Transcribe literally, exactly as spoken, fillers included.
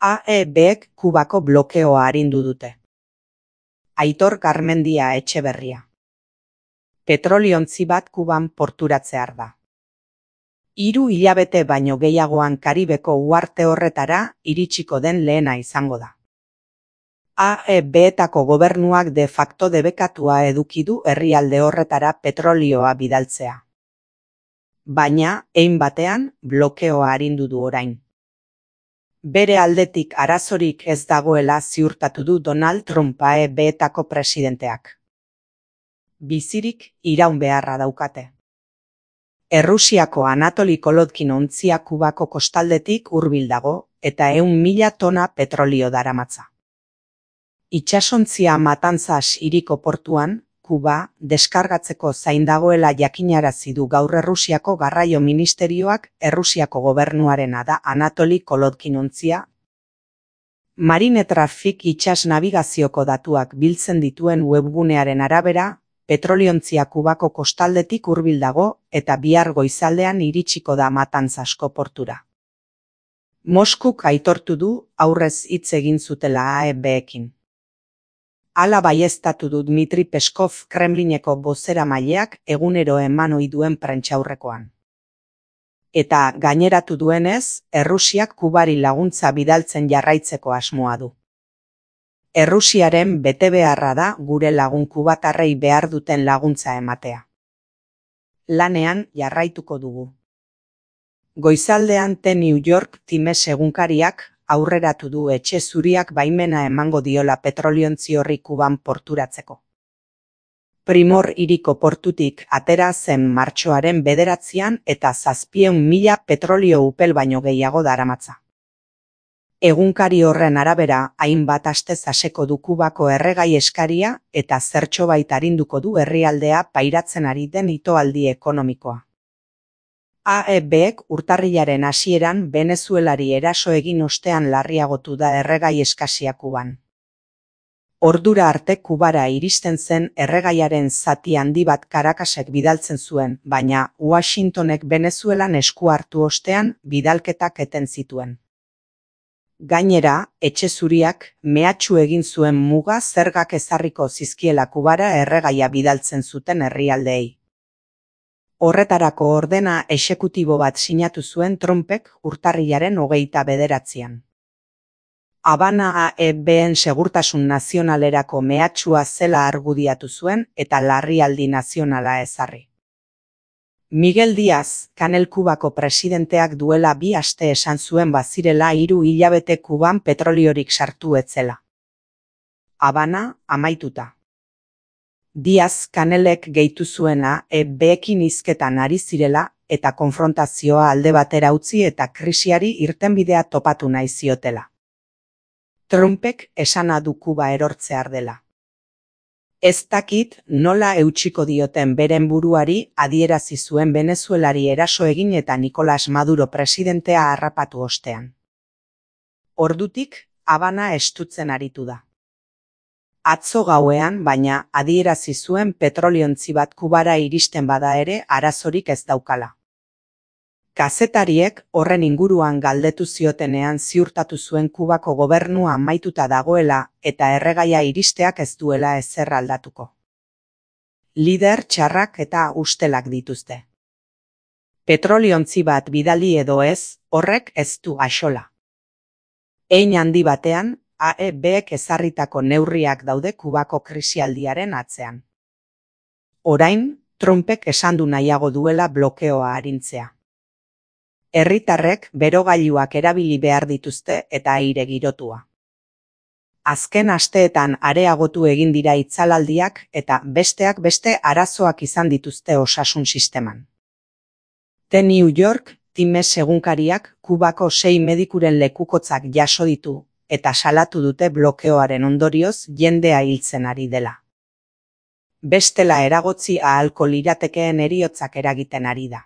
A E Bek Kubako blokeoa arindu dute. Aitor Garmendia Etxeberria. Petroliontzi bat Kuban porturatzear da. Hiru hilabete baino gehiagoan Karibeko uharte horretara iritsiko den lehena izango da. A E Betako gobernuak de facto debekatua eduki du herrialde horretara petrolioa bidaltzea. Baina, hein batean, blokeoa arindu du orain. Bere aldetik arazorik ez dagoela ziurtatu du Donald Trump A E Betako presidenteak. Bizirik iraun beharra daukate. Errusiako Anatoli Kolodkin ontzia Kubako kostaldetik hurbil dago eta ehun mila tona petrolio daramatza. Itsasontzia Matanzas hiriko portuan, Kuba, deskargatzeko zain dagoela jakinarazi du gaur Errusiako garraio ministerioak Errusiako gobernuarena da Anatoli Kolodkin ontzia. Marine Traffic itsas nabigazioko datuak biltzen dituen webgunearen arabera, petroliontzia Kubako kostaldetik hurbil dago eta bihar goizaldean iritsiko da Matanzasko portura. Moskuk aitortu du aurrez hitz egin zutela A E Bekin. Hala baieztatu du Dmitri Peskov Kremlineko bozeramaileak egunero eman ohi duen prentsaurrekoan. Eta gaineratu duenez, Errusiak Kubari laguntza bidaltzen jarraitzeko asmoa du. Errusiaren betebeharra da gure lagun kubatarrei behar duten laguntza ematea. Lanean jarraituko dugu. Goizaldean The New York Times egunkariak aurreratu du etxe zuriak baimena emango diola petroliontzi horri Kuban porturatzeko. Primor hiriko portutik atera zen martxoaren bederatzian eta zazpieun mila petrolio upel baino gehiago daramatza. Egunkari horren arabera, hainbat aste zaseko du Kubako erregai eskaria eta zertxobait arinduko du herrialdea pairatzen ari den itoaldi ekonomikoa. A E Bek urtarrilaren hasieran Venezuelari eraso egin ostean larriagotu da erregai eskasia Kuban. Ordura arte Kubara iristen zen erregaiaren zati handi bat Caracasek bidaltzen zuen, baina Washingtonek Venezuelan esku hartu ostean bidalketak eten zituen. Gainera, etxe zuriak mehatxu egin zuen muga zergak ezarriko zizkiela Kubara erregaia bidaltzen zuten herrialdeei. Horretarako ordena exekutibo bat sinatu zuen Trumpek urtarrilaren hogeita bederatzian. Habana A E Ben segurtasun nazionalerako mehatxua zela argudiatu zuen eta larrialdi nazionala ezarri. Miguel Díaz, Kanel Kubako presidenteak duela bi aste esan zuen bazirela hiru hilabete Kuban petroliorik sartu etzela. Habana amaituta. Díaz Kanelek gehitu zuena E Bekin hizketan ari zirela eta konfrontazioa alde batera utzi eta krisiari irtenbidea topatu nahi ziotela. Trumpek esana du Kuba erortzear dela. Ez dakit nola eutsiko dioten beren buruari adierazi zuen Venezuelari eraso egin eta Nicolas Maduro presidentea harrapatu ostean. Ordutik, Habana estutzen aritu da. Atzo gauean, baina adierazi zuen petroliontzi bat Kubara iristen bada ere arazorik ez daukala. Kazetariek horren inguruan galdetu ziotenean ziurtatu zuen Kubako gobernua amaituta dagoela eta erregaia iristeak ez duela ezer aldatuko. Lider txarrak eta ustelak dituzte. Petroliontzi bat bidali edo ez, horrek ez du axola. Hein handi batean, A E Bek ezarritako neurriak daude Kubako krisialdiaren atzean. Orain, Trumpek esan du nahiago duela blokeoa arintzea. Herritarrek berogailuak erabili behar dituzte eta aire girotua. Azken asteetan areagotu egin dira itzalaldiak eta besteak beste arazoak izan dituzte osasun sisteman. The New York Times egunkariak Kubako sei medikuren lekukotzak jaso ditu eta salatu dute blokeoaren ondorioz jendea hiltzen ari dela. Bestela eragotzi ahalko liratekeen heriotzak eragiten ari da.